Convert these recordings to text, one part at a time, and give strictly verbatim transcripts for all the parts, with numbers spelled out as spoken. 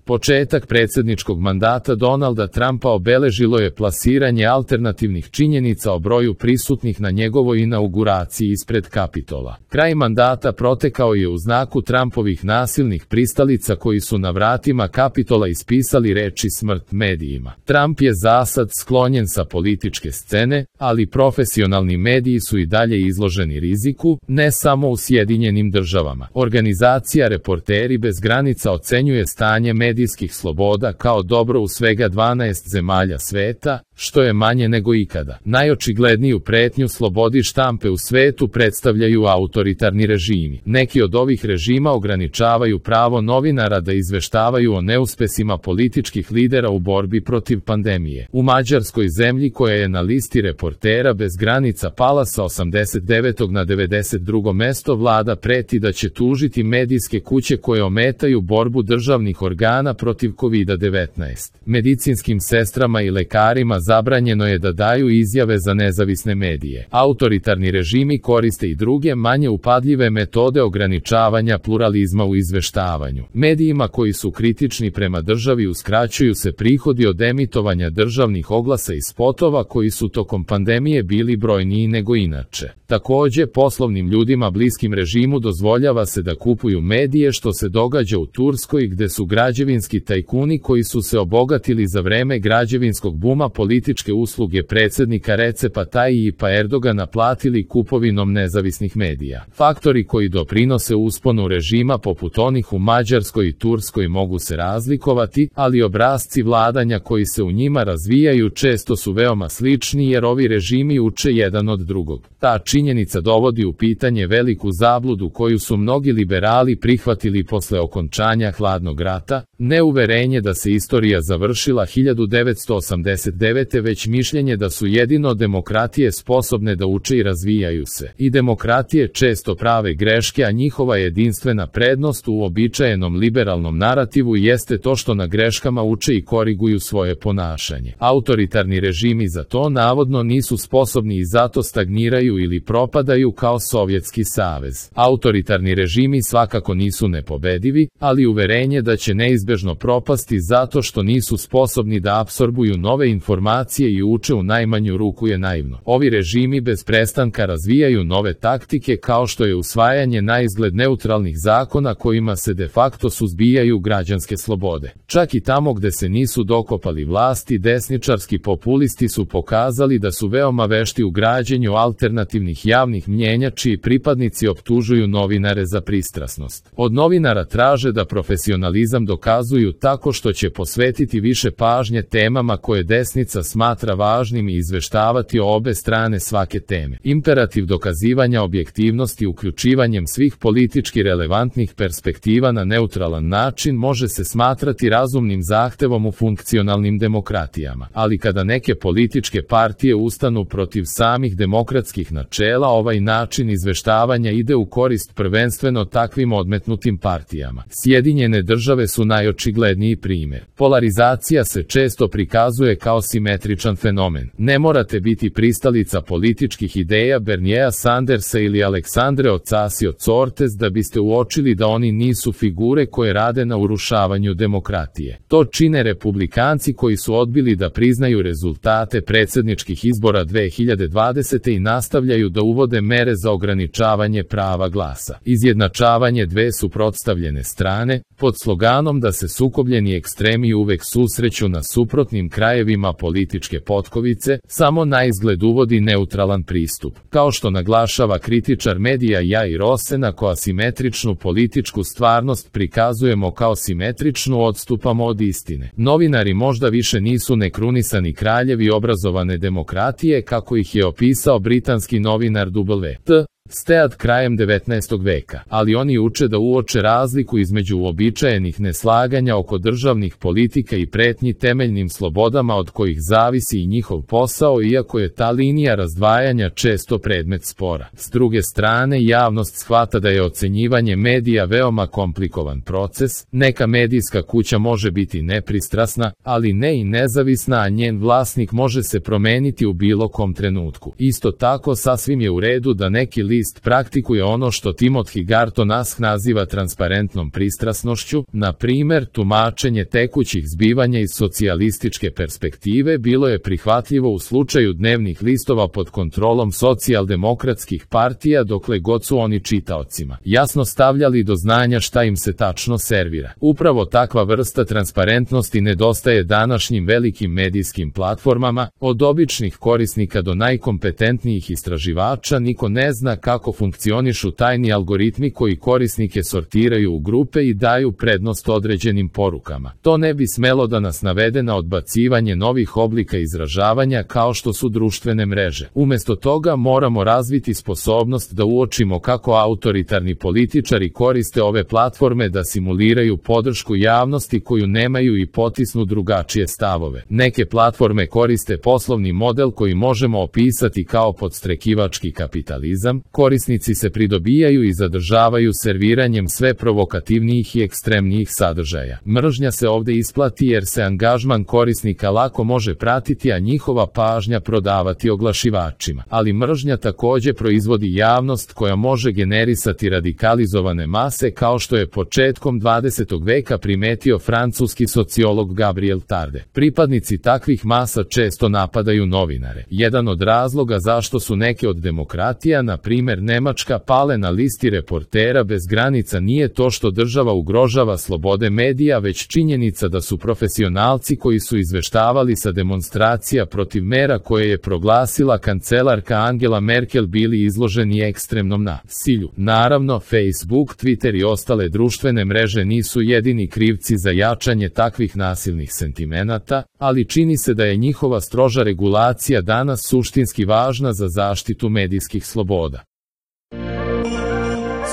Početak predsjedničkog mandata Donalda Trumpa obeležilo je plasiranje alternativnih činjenica o broju prisutnih na njegovoj inauguraciji ispred Kapitola. Kraj mandata protekao je u znaku Trumpovih nasilnih pristalica koji su na vratima Kapitola ispisali reči smrt medijima. Trump je zasad sklonjen sa političke scene, ali profesionalni mediji su i dalje izloženi riziku, ne samo u Sjedinjenim državama. Organizacija Reporteri bez granica ocenjuje stanje medijskih sloboda kao dobro u svega dvanaest zemalja sveta, što je manje nego ikada. Najočigledniju pretnju slobodi štampe u svetu predstavljaju autoritarni režimi. Neki od ovih režima ograničavaju pravo novinara da izveštavaju o neuspesima političkih lidera u borbi protiv pandemije. U Mađarskoj, zemlji koja je na listi Reportera bez granica pala sa osamdeset devetog na devedeset drugo mesto, vlada preti da će tužiti medijske kuće koje ometaju borbu državnih organa protiv kovid devetnaest. Medicinskim sestrama i lekarima zabranjeno je da daju izjave za nezavisne medije. Autoritarni režimi koriste i druge manje upadljive metode ograničavanja pluralizma u izveštavanju. Medijima koji su kritični prema državi uskraćuju se prihodi od emitovanja državnih oglasa i spotova koji su tokom pandemije bili brojniji nego inače. Takođe, poslovnim ljudima bliskim režimu dozvoljava se da kupuju medije, što se događa u Turskoj, gde su građevinski tajkuni koji su se obogatili za vreme građevinskog buma političke usluge predsjednika Recepa Tayyipa Erdogana platili kupovinom nezavisnih medija. Faktori koji doprinose usponu režima poput onih u Mađarskoj i Turskoj mogu se razlikovati, ali obrasci vladanja koji se u njima razvijaju često su veoma slični jer ovi režimi uče jedan od drugog. Ta činjenica dovodi u pitanje veliku zabludu koju su mnogi liberali prihvatili posle okončanja hladnog rata, ne uverenje da se istorija završila hiljadu devetsto osamdeset devete već mišljenje da su jedino demokratije sposobne da uče i razvijaju se. I demokratije često prave greške, a njihova jedinstvena prednost u uobičajenom liberalnom narativu jeste to što na greškama uče i koriguju svoje ponašanje. Autoritarni režimi za to navodno nisu sposobni i zato stagniraju ili propadaju kao Sovjetski savez. Autoritarni režimi svakako nisu nepobedivi, ali uverenje da će neizbežno propasti zato što nisu sposobni da apsorbuju nove informacije i uče u najmanju ruku je naivno. Ovi režimi bez prestanka razvijaju nove taktike kao što je usvajanje na izgled neutralnih zakona kojima se de facto suzbijaju građanske slobode. Čak i tamo gde se nisu dokopali vlasti, desničarski populisti su pokazali da su veoma vešti u građenju alternativnih javnih mnjenja čiji pripadnici optužuju novinare za pristrasnost. Od novinara traže da profesionalizam dokazuju tako što će posvetiti više pažnje temama koje desnica smatra važnim i izveštavati o obe strane svake teme. Imperativ dokazivanja objektivnosti uključivanjem svih politički relevantnih perspektiva na neutralan način može se smatrati razumnim zahtevom u funkcionalnim demokratijama. Ali kada neke političke partije ustanu protiv samih demokratskih načela, ovaj način izveštavanja ide u korist prvenstveno takvim odmetnutim partijama. Sjedinjene države su najočigledniji primjer. Polarizacija se često prikazuje kao simetričan fenomen. Ne morate biti pristalica političkih ideja Bernieja Sandersa ili Aleksandre Ocasio-Cortez da biste uočili da oni nisu figure koje rade na urušavanju demokratije. To čine republikanci koji su odbili da priznaju rezultate predsjedničkih izbora dve hiljade dvadesete i nastavljaju da uvode mere za ograničavanje prava glasa. Izjednačavanje dve suprotstavljene strane, pod sloganom da se sukobljeni ekstremi uvek susreću na suprotnim krajevima političke potkovice, samo na izgled uvodi neutralan pristup. Kao što naglašava kritičar medija Jair Osena, ko asimetričnu političku stvarnost prikazujemo kao simetričnu, odstupamo od istine. Novinari možda više nisu nekrunisani kraljevi obrazovane demokratije kako ih je opisao britanski novinar W T Stead krajem devetnaestog veka, ali oni uče da uoče razliku između uobičajenih neslaganja oko državnih politika i pretnji temeljnim slobodama od kojih zavisi i njihov posao, iako je ta linija razdvajanja često predmet spora. S druge strane, javnost shvata da je ocenjivanje medija veoma komplikovan proces. Neka medijska kuća može biti nepristrasna, ali ne i nezavisna, a njen vlasnik može se promeniti u bilo kom trenutku. Isto tako, sasvim je u redu da neki list praktikuje ono što Timothy Garton Ash naziva transparentnom pristrasnošću, na primer, tumačenje tekućih zbivanja iz socijalističke perspektive bilo je prihvatljivo u slučaju dnevnih listova pod kontrolom socijaldemokratskih partija dokle god su oni čitaocima jasno stavljali do znanja šta im se tačno servira. Upravo takva vrsta transparentnosti nedostaje današnjim velikim medijskim platformama, od običnih korisnika do najkompetentnijih istraživača. Niko ne zna kako funkcionišu tajni algoritmi koji korisnike sortiraju u grupe i daju prednost određenim porukama. To ne bi smelo da nas navede na odbacivanje novih oblika izražavanja kao što su društvene mreže. Umesto toga moramo razviti sposobnost da uočimo kako autoritarni političari koriste ove platforme da simuliraju podršku javnosti koju nemaju i potisnu drugačije stavove. Neke platforme koriste poslovni model koji možemo opisati kao podstrekivački kapitalizam. Korisnici se pridobijaju i zadržavaju serviranjem sve provokativnijih i ekstremnijih sadržaja. Mržnja se ovde isplati jer se angažman korisnika lako može pratiti, a njihova pažnja prodavati oglašivačima. Ali mržnja takođe proizvodi javnost koja može generisati radikalizovane mase, kao što je početkom dvadesetog veka primetio francuski sociolog Gabriel Tarde. Pripadnici takvih masa često napadaju novinare. Jedan od razloga zašto su neke od demokratija, na primer Nemačka, pale na listi Reportera bez granica nije to što država ugrožava slobode medija, već činjenica da su profesionalci koji su izveštavali sa demonstracija protiv mera koje je proglasila kancelarka Angela Merkel bili izloženi ekstremnom nasilju. Naravno, Facebook, Twitter i ostale društvene mreže nisu jedini krivci za jačanje takvih nasilnih sentimenata, ali čini se da je njihova stroža regulacija danas suštinski važna za zaštitu medijskih sloboda.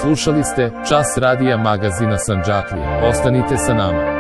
Slušali ste Čas radija magazina Sandžaklija. Ostanite sa nama.